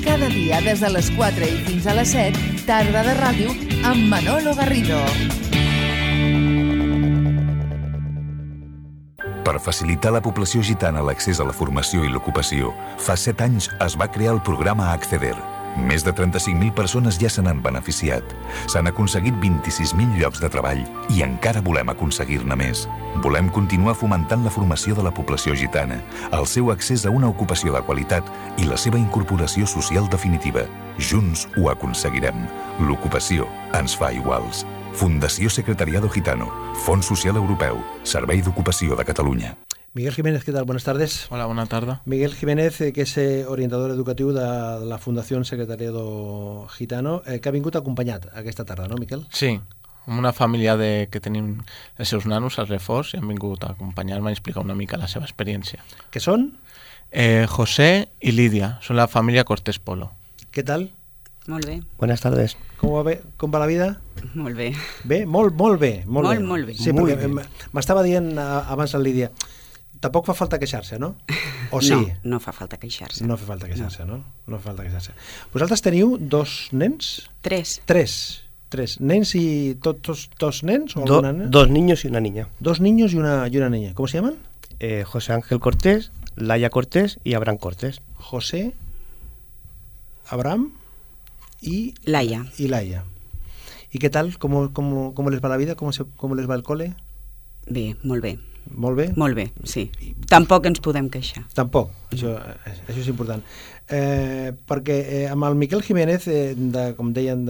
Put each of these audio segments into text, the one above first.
Cada dia des de les 4 i fins a les 7, Tarda de Ràdio amb Manolo Garrido. Per facilitar a la població gitana l'accés a la formació i l'ocupació, fa 7 anys es va crear el programa Acceder. Més de 35.000 persones ja se n'han beneficiat. S'han aconseguit 26.000 llocs de treball i encara volem aconseguir-ne més. Volem continuar fomentant la formació de la població gitana, el seu accés a una ocupació de qualitat i la seva incorporació social definitiva. Junts ho aconseguirem. L'ocupació ens fa iguals. Fundació Secretariado Gitano, Fons Social Europeu, Servei d'Ocupació de Catalunya. Miguel Jiménez, ¿qué tal? Buenas tardes. Hola, buena tarde. Miguel Jiménez, que és orientador educatiu de la Fundació Secretariado Gitano, que ha vingut acompanyat aquesta tarda, no, Miquel? Sí, amb una família que tenim els seus nanos al reforç i han vingut a acompanyar-me i explicar una mica la seva experiència. Què són? José y Lidia, son la familia Cortés Polo. ¿Qué tal? Molt bé. Buenas tardes. Com va la vida? Molt bé. Bé? Molt bé. Molt bé. Sí, perquè m'estava dient abans la Lídia, tampoc fa falta queixar-se, no? O sí? No fa falta queixar-se. No fa falta queixar-se, no? No fa falta queixar-se. Vosaltres teniu 2 nens? 3. 3 nens y dos nens o alguna nena? 2 niños y una niña. 2 niños y una niña. ¿Cómo se llaman? José Ángel Cortés, Laia Cortés y Abraham Cortés. José, Abraham y Laia. ¿Y qué tal? ¿Cómo les va la vida? ¿Cómo les va el cole? Bé, molt bé. Molt bé? Molt bé, sí. Tampoc ens podem queixar. Tampoc, això és important. Perquè amb el Miquel Jiménez, com deien,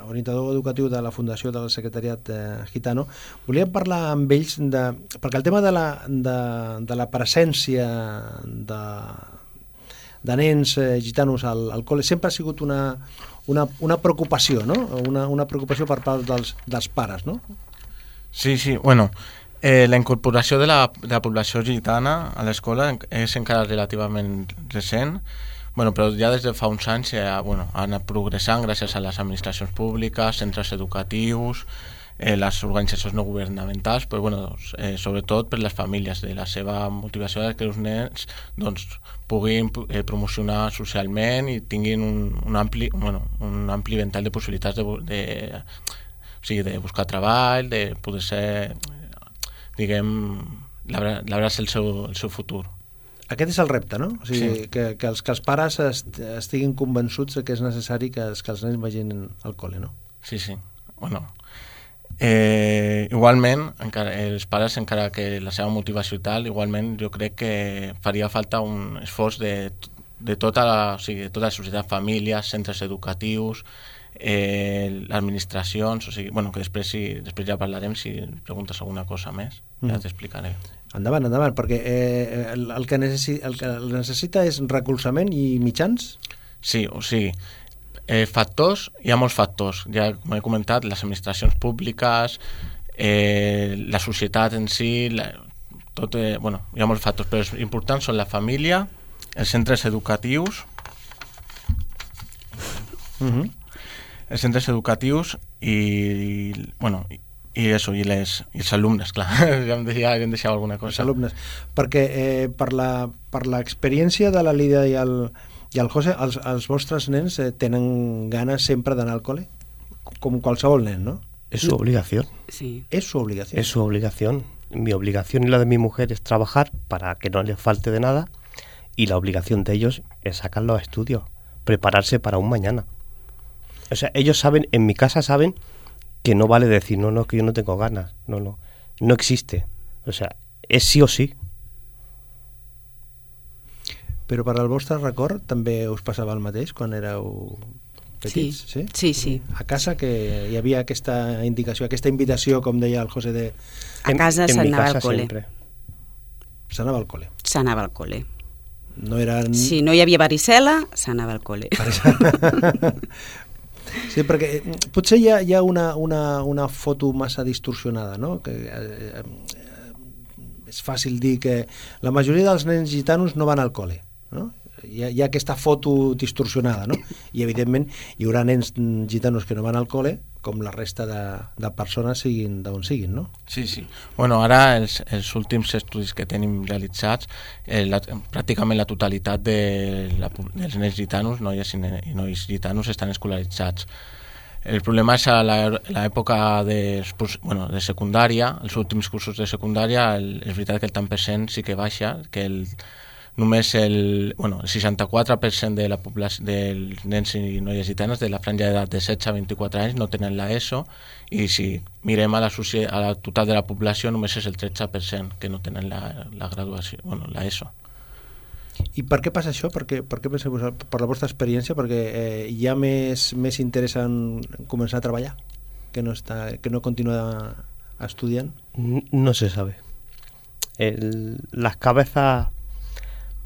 orientador educatiu de la Fundació del Secretariat Gitano, volíem parlar amb ells, perquè el tema de la presència de nens gitanos al col·le sempre ha sigut una preocupació, no? Una preocupació per part dels pares, no? Sí, bueno, la incorporació de la població gitana a l'escola és encara relativament recent, però ja des de fa uns anys ha anat progressant gràcies a les administracions públiques, centres educatius, les organitzacions no governamentals, però sobretot per les famílies, de la seva motivació que els nens puguin promocionar socialment i tinguin un ampli ventall de possibilitats de buscar treball, de poder ser, labrar-se el seu futur. Aquest és el repte, no? O sigui, sí. que els pares estiguin convençuts que és necessari que els nens vagin al col·le, no? Sí. Igualment, els pares, encara que la seva motivació i tal, igualment jo crec que faria falta un esforç de tota la societat, famílies, centres educatius, administracions, que després ja parlarem, si preguntes alguna cosa més, ja t'explicaré. Endavant, perquè el que necessita és recolzament i mitjans? Sí, o sigui, factors, hi ha molts factors, ja com he comentat, les administracions públiques, la societat en si, hi ha molts factors, però els importants són la família, els centres educatius, els centres educatius i els alumnes, clar, ja em deixava alguna cosa. Els alumnes, perquè per l'experiència de la Lídia i el José, els vostres nens tenen ganes sempre d'anar al cole, com qualsevol nen, ¿no? Es su obligación. Sí. Es su obligación. Es su obligación. Mi obligación y la de mi mujer es trabajar para que no les falte de nada, y la obligación de ellos es sacar los estudios, prepararse para un mañana. O sea, ellos saben, en mi casa saben que no vale decir, no, es que yo no tengo ganas, no existe. O sea, és sí o sí. Però per al vostre record també us passava el mateix quan éreu petits? Sí. A casa que hi havia aquesta indicació, aquesta invitació, com deia el José de... A casa s'anava al col·le. S'anava al col·le. S'anava al col·le. No eren... Si no hi havia varicel·la, s'anava al col·le. Sí, perquè potser hi ha una foto massa distorsionada, no? Que és fàcil dir que la majoria dels nens gitanos no van al col·le, no? Hi ha aquesta foto distorsionada, no? i evidentment hi haurà nens gitanos que no van al col·le, com la resta de persones siguin d'on siguin, no? Sí, sí. Bueno, ara els últims estudis que tenim realitzats, pràcticament la totalitat dels nens gitanos, noies i nois gitanos, estan escolaritzats. El problema és a l'època de secundària, els últims cursos de secundària, és veritat que el tant percent sí que baixa, que només el 64% de la població dels nens i noies gitanes de la franja d'edat de 16 a 24 anys no tenen l'ESO, i si mirem a la total de la població només és el 13% que no tenen la graduació, l'ESO. I per què passa això? Per què penseu vosaltres? Per la vostra experiència? Perquè hi ha més interès en començar a treballar que no continuar estudiant? No se sabe. Las cabezas,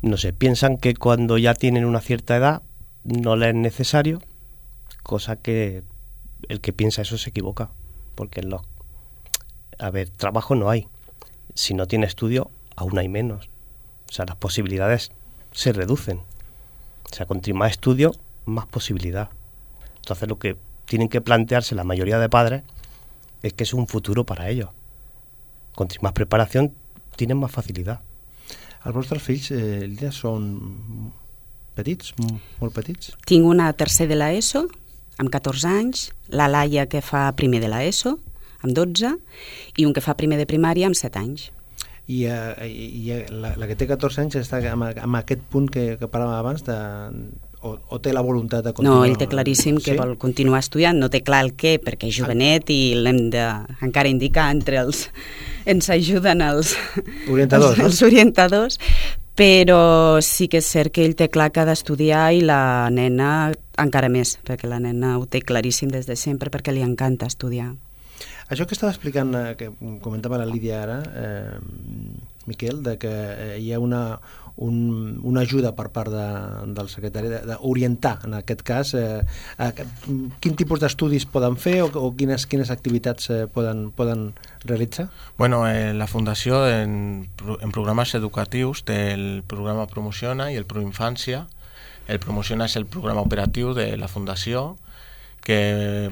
no sé, piensan que cuando ya tienen una cierta edad no les es necesario, cosa que el que piensa eso se equivoca, porque trabajo no hay. Si no tiene estudio, aún hay menos. O sea, las posibilidades se reducen. O sea, con más estudio, más posibilidad. Entonces lo que tienen que plantearse la mayoría de padres es que es un futuro para ellos. Con más preparación tienen más facilidad. Els vostres fills, Lídia, són petits, molt petits? Tinc una tercer de l'ESO, amb 14 anys, la Laia que fa primer de l'ESO, amb 12, i un que fa primer de primària amb 7 anys. I la que té 14 anys està amb aquest punt que parlàvem abans, o té la voluntat de continuar? No, ell té claríssim que vol continuar estudiant, no té clar el què, perquè és jovenet i l'hem d'encara indicar entre els... ens ajuden els orientadors, però sí que és cert que ell té clar que ha d'estudiar, i la nena encara més, perquè la nena ho té claríssim des de sempre, perquè li encanta estudiar. Això que estava explicant, que comentava la Lídia ara, Miquel, de que hi ha una ajuda per part del secretari d'orientar, en aquest cas, quin tipus d'estudis poden fer o quines activitats poden realitzar? Bueno, la Fundació en programes educatius té el programa Promociona i el Proinfància. El Promociona és el programa operatiu de la Fundació, que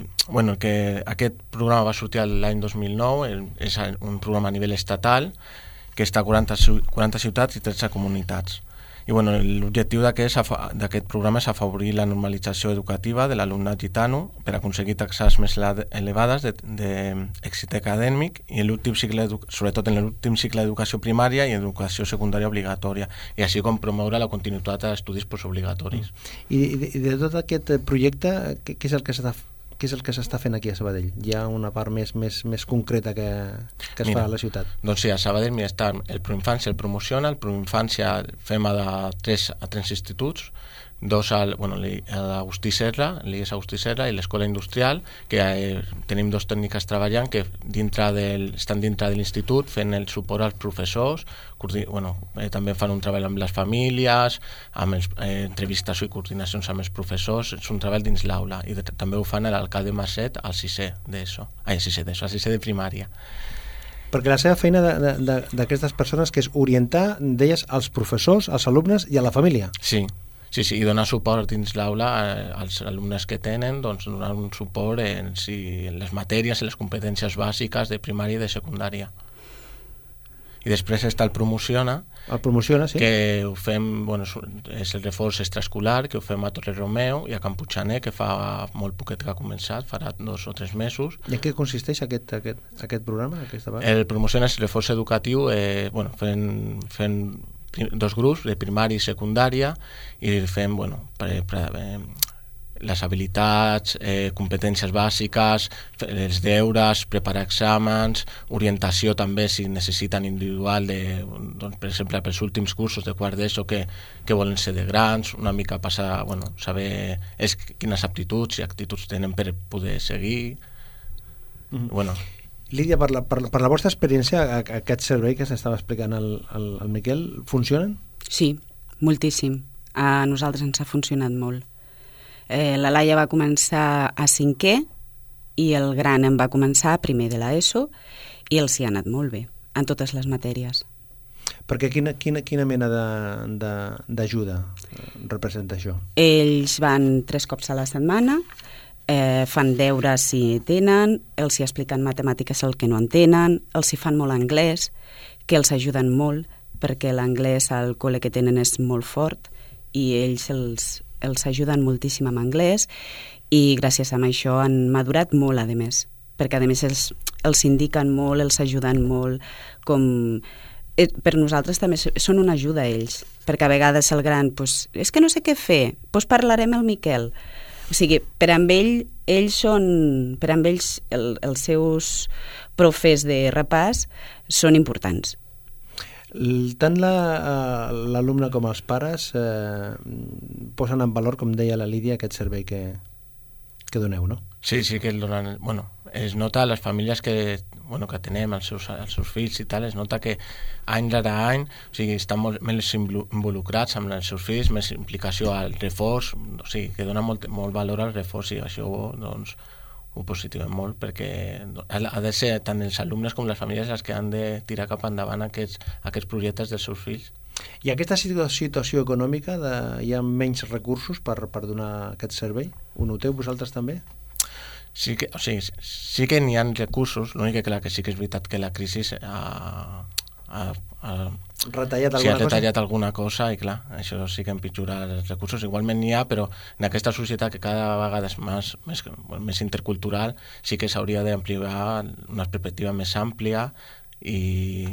aquest programa va sortir l'any 2009, és un programa a nivell estatal que està a 40 ciutats i 13 comunitats. I l'objectiu d'aquest programa és afavorir la normalització educativa de l'alumnat gitano per aconseguir taxes més elevades d'èxit acadèmic, i sobretot en l'últim cicle d'educació primària i educació secundària obligatòria, i així com promoure la continuïtat d'estudis postobligatoris. I de tot aquest projecte, què és el que s'està fent aquí a Sabadell? Hi ha una part més concreta que es fa a la ciutat? Doncs sí, a Sabadell està el Proinfància, el Promociona. El Proinfància fem a 3 instituts, dos a l'Agustí Serra, l'IES Agustí Serra, i l'Escola Industrial, que tenim 2 tècniques treballant que estan dintre de l'institut fent el suport als professors, també fan un treball amb les famílies, amb entrevistes i coordinacions amb els professors, és un treball dins l'aula, i també ho fan l'alcalde Masset al 6è d'ESO, al 6è de primària. Perquè la seva feina d'aquestes persones, que és orientar, deies, als professors, als alumnes i a la família. Sí, i donar suport dins l'aula als alumnes que tenen, doncs donar un suport en les matèries i les competències bàsiques de primària i de secundària. I després està el Promociona, sí, que ho fem, és el reforç extraescolar, que ho fem a Torre Romeu i a Can Puigxaner, que fa molt poquet que ha començat, farà 2 o 3 mesos. I en què consisteix aquest programa? El Promociona és el reforç educatiu, fent 2 grups, de primària i secundària, i fem les habilitats, competències bàsiques, els deures, preparar exàmens, orientació també si necessiten individual, per exemple, pels últims cursos de quart d'ESO que volen ser de grans, una mica passar, saber quines aptituds i actituds tenen per poder seguir. Lídia, per la vostra experiència, aquest servei que s'estava explicant al Miquel, funcionen? Sí, moltíssim. A nosaltres ens ha funcionat molt. La Laia va començar a 5è i el gran en va començar a primer de l'ESO, i els hi ha anat molt bé, en totes les matèries. Perquè quina mena d'ajuda representa això? Ells van 3 cops a la setmana, fan deures si tenen, els hi expliquen matemàtiques el que no entenen, els hi fan molt anglès, que els ajuden molt, perquè l'anglès al col·le que tenen és molt fort i ells els ajuden moltíssim amb anglès i gràcies a això han madurat molt, a més, perquè a més els indiquen molt, els ajuden molt, com... Per nosaltres també són una ajuda ells, perquè a vegades el gran, és que no sé què fer, parlarem el Miquel. O sigui, per amb ells els seus profes de repàs són importants. Tant l'alumne com els pares posen en valor, com deia la Lídia, aquest servei que doneu, no? Sí, que el donen... Bueno, es nota a les famílies que tenem, els seus fills i tal, es nota que any rere any, o sigui, estan molt més involucrats amb els seus fills, més implicació al reforç, o sigui, que dona molt valor al reforç i això, doncs, ho positivem molt, perquè ha de ser tant els alumnes com les famílies els que han de tirar cap endavant aquests projectes dels seus fills. I aquesta situació econòmica, hi ha menys recursos per donar aquest servei? Ho noteu vosaltres també? Sí que n'hi ha recursos, l'únic que clar que sí que és veritat que la crisi ha retallat alguna cosa i clar, això sí que empitjora els recursos. Igualment n'hi ha, però en aquesta societat que cada vegada és més intercultural sí que s'hauria d'ampliar una perspectiva més àmplia i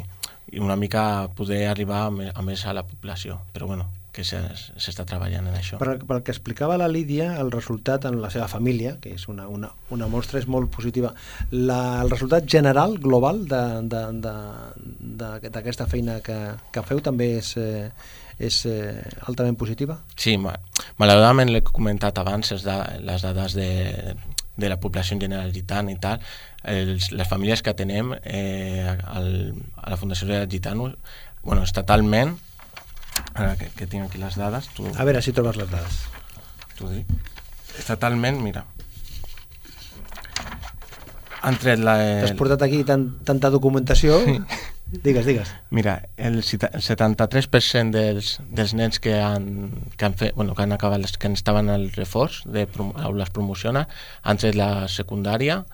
una mica poder arribar a més a la població, però bueno, que s'està treballant en això. Pel que explicava la Lídia, el resultat en la seva família, que és una mostra, és molt positiva. El resultat general, global, d'aquesta feina que feu també és altament positiva? Sí, malauradament l'he comentat abans, les dades de la població en general gitana i tal, les famílies que tenem a la Fundació Gitano, estatalment, ara que tinc aquí les dades... A veure si trobes les dades. T'ho dic. Estatalment, mira, han tret la... T'has portat aquí tanta documentació... Digues. Mira, el 73% dels nens que han acabat, que estaven al reforç d'aules promociona, han tret la secundària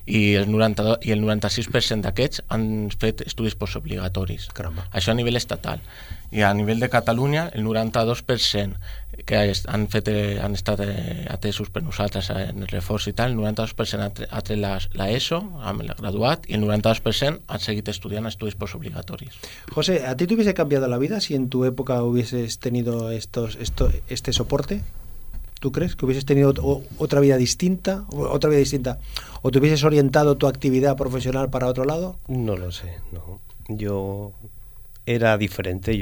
i el 96% d'aquests han fet estudis postobligatoris. Caramba. Això a nivell estatal. I a nivell de Catalunya, el 92% que han estat atesos per nosaltres en el reforç i tal, el 92% ha tret l'ESO, amb el graduat, i el 92% han seguit estudiant estudis postobligatoris. José, ¿a ti te hubiese cambiado la vida si en tu época hubieses tenido este soporte? ¿Tú crees que hubieses tenido otra vida distinta? ¿O te hubieses orientado tu actividad profesional para otro lado? No lo sé, no. Yo era diferente,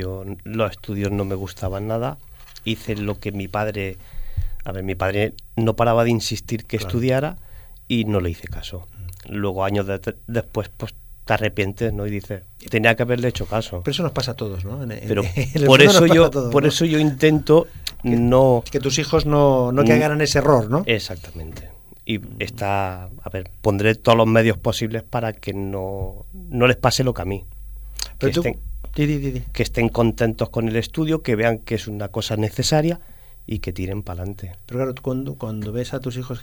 los estudios no me gustaban nada. Hice lo que mi padre no paraba de insistir que estudiara y no le hice caso. Luego, años después, pues te arrepientes, ¿no? Y dices, tenía que haberle hecho caso. Pero eso nos pasa a todos, ¿no? Pero por eso yo intento que tus hijos no caigan en ese error, ¿no? Exactamente. Y pondré todos los medios posibles para que no les pase lo que a mí. Pero que estén contentos con el estudio, que vean que es una cosa necesaria y que tiren para adelante. Pero claro, cuando ves a tus hijos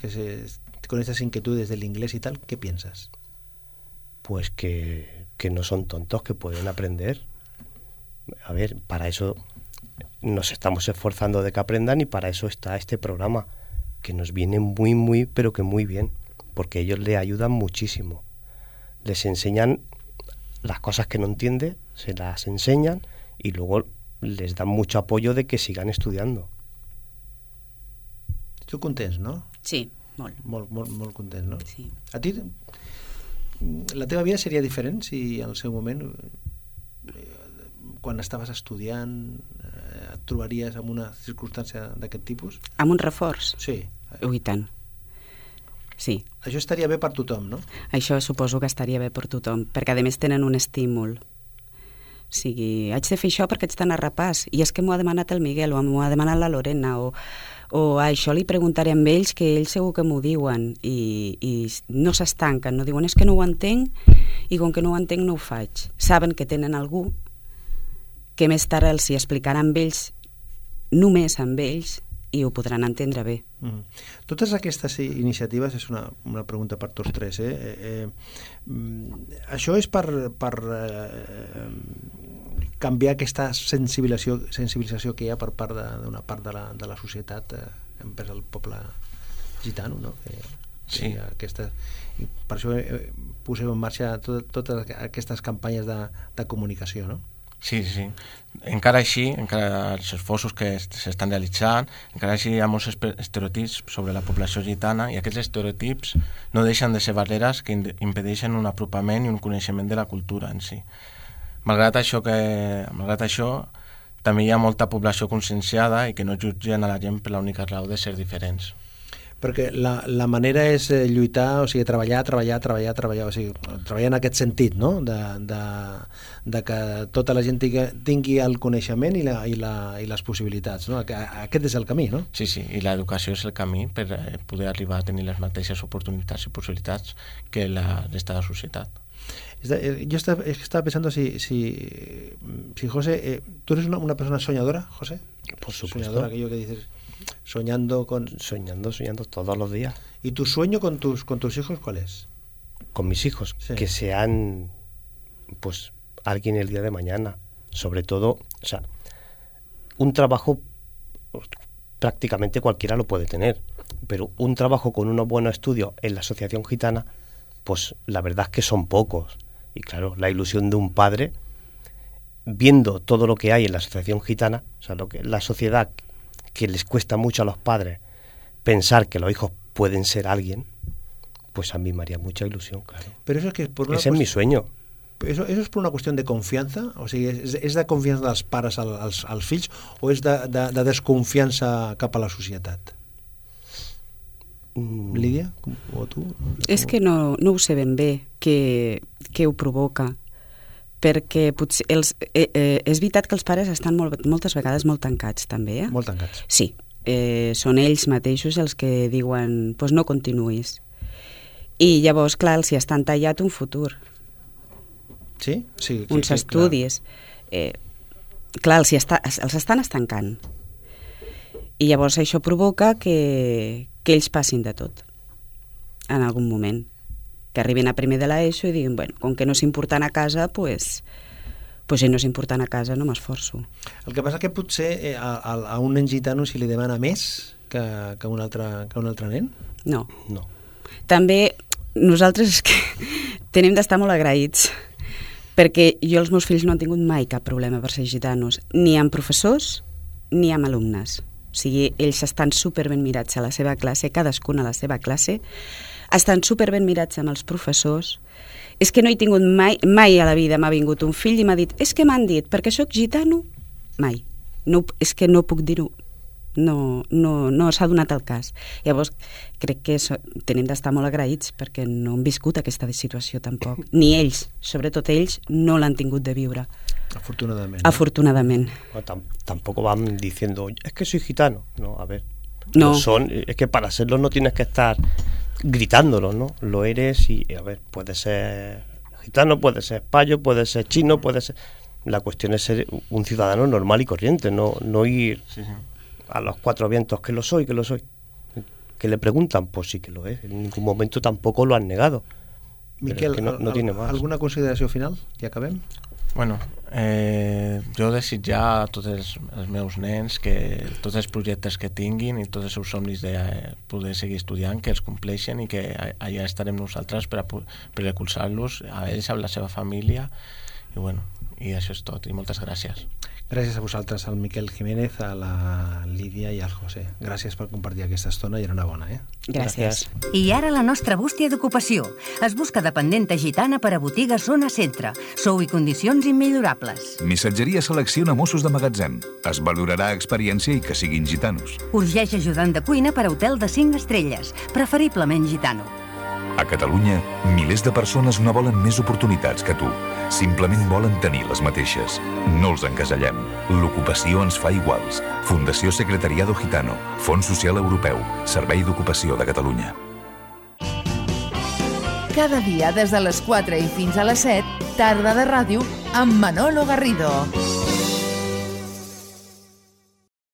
con estas inquietudes del inglés y tal, ¿qué piensas? Pues que no son tontos, que pueden aprender. A ver, para eso nos estamos esforzando de que aprendan y para eso está este programa, que nos viene muy, muy, pero que muy bien, porque ellos le ayudan muchísimo. Les enseñan las cosas que no entiende, se las enseñan y luego les dan mucho apoyo de que sigan estudiando. Tu contents, no? Sí, molt. Molt content, no? Sí. A ti, la teva vida seria diferent si al seu moment, quan estaves estudiant, et trobaries en una circumstància d'aquest tipus? Amb un reforç? Sí. I tant. Sí. Això estaria bé per tothom, no? Això suposo que estaria bé per tothom, perquè a més tenen un estímul. O sigui, haig de fer això perquè haig d'anar a repàs, i és que m'ho ha demanat el Miguel, o m'ho ha demanat la Lorena, o això li preguntaré a ells, que ells segur que m'ho diuen, i no s'estanquen, no diuen és que no ho entenc, i com que no ho entenc no ho faig. Saben que tenen algú que més tard els hi explicaran amb ells, només amb ells, i ho podran entendre bé. Totes aquestes iniciatives, és una pregunta per tots tres, això és per canviar aquesta sensibilització que hi ha per part d'una part de la societat envers el poble gitano, no? Sí. Per això poseu en marxa totes aquestes campanyes de comunicació, no? Sí. Encara així, encara els esforços que s'estan realitzant, encara així hi ha molts estereotips sobre la població gitana, i aquests estereotips no deixen de ser barreres que impedeixen un apropament i un coneixement de la cultura en si. Malgrat això, també hi ha molta població conscienciada i que no jutgen a la gent per l'única raó de ser diferents. Perquè la manera és lluitar, o sigui, treballar, o sigui, treballar en aquest sentit, no? De que tota la gent tingui el coneixement i les possibilitats, no? Aquest és el camí, no? Sí, i l'educació és el camí per poder arribar a tenir les mateixes oportunitats i possibilitats que la resta de la societat. Yo estaba pensando si José, ¿tú eres una persona soñadora, José? Por supuesto. Soñadora, aquello que dices, soñando todos los días. ¿Y tu sueño con tus hijos cuál es? Con mis hijos, sí. Que sean pues alguien el día de mañana, sobre todo, o sea, un trabajo prácticamente cualquiera lo puede tener, pero un trabajo con unos buenos estudios en la Asociación Gitana, pues la verdad es que son pocos. Y claro, la ilusión de un padre, viendo todo lo que hay en la Asociación Gitana, o sea, lo que la sociedad, que les cuesta mucho a los padres pensar que los hijos pueden ser alguien, pues a mí me haría mucha ilusión, claro. Pero eso es que ese es mi sueño. Eso és per una qüestió de confiança? O sigui, és de confiança dels pares als fills o és de desconfiança cap a la societat? Lídia? O tu? És que no ho sé ben bé què ho provoca, perquè potser és veritat que els pares estan moltes vegades molt tancats també, Molt tancats. Sí, són ells mateixos els que diuen pues no continuïs, i llavors clar, els hi estan tallat un futur. Sí? Sí, uns estudis. Clar, els estan estancant. I llavors això provoca que ells passin de tot en algun moment. Que arribin a primer de l'ESO i diguin, bueno, com que no és important a casa, pues si no és important a casa no m'esforço. El que passa que potser a un nen gitano si li demana més que un altre nen? No. També nosaltres és que tenim d'estar molt agraïts, perquè jo els meus fills no han tingut mai cap problema per ser gitanos, ni amb professors ni amb alumnes. O sigui, ells estan superben mirats a la seva classe, cadascun a la seva classe, estan superben mirats amb els professors. És que no he tingut mai a la vida m'ha vingut un fill i m'ha dit, és que m'han dit, perquè sóc gitano, mai. No, és que no puc dir-ho. No s'ha donat el cas. Llavors crec que tenim d'estar molt agraïts perquè no han viscut aquesta situació tampoc, ni ells, sobretot ells no l'han tingut de viure, afortunadament. Tampoco van diciendo es que soy gitano, no, a ver, no. Es que para serlo no tienes que estar gritándolo, ¿no? Lo eres y a ver, puede ser gitano, puede ser payo, puede ser chino, puede ser, la cuestión es ser un ciudadano normal y corriente, no ir a los cuatro vientos que lo soy. Que le preguntan, pues sí que lo es. En ningún momento tampoco lo han negado. Miquel, es que no tiene más. ¿Alguna consideració final? Ja acabem? Bueno, jo desitjar a tots els meus nens que tots els projectes que tinguin i tots els seus somnis de poder seguir estudiant, que els compleixen i que allà estarem nosaltres per recolzar-los a ells, a la seva família, i bueno, i això és tot, i moltes gràcies. Gràcies a vosaltres, al Miquel Jiménez, a la Lídia i al José. Gràcies per compartir aquesta estona i enhorabona. Gràcies. I ara la nostra bústia d'ocupació. Es busca dependenta gitana per a botigues zona centre. Sou i condicions immillorables. Missatgeria selecciona Mossos de magatzem. Es valorarà experiència i que siguin gitanos. Urgeix ajudant de cuina per a hotel de 5 estrelles, preferiblement gitano. A Catalunya, milers de persones no volen més oportunitats que tu. Simplement volen tenir les mateixes. No els encasellem. L'ocupació ens fa iguals. Fundació Secretariado Gitano. Fons Social Europeu. Servei d'Ocupació de Catalunya. Cada dia des de les 4 i fins a les 7, tarda de ràdio amb Manolo Garrido.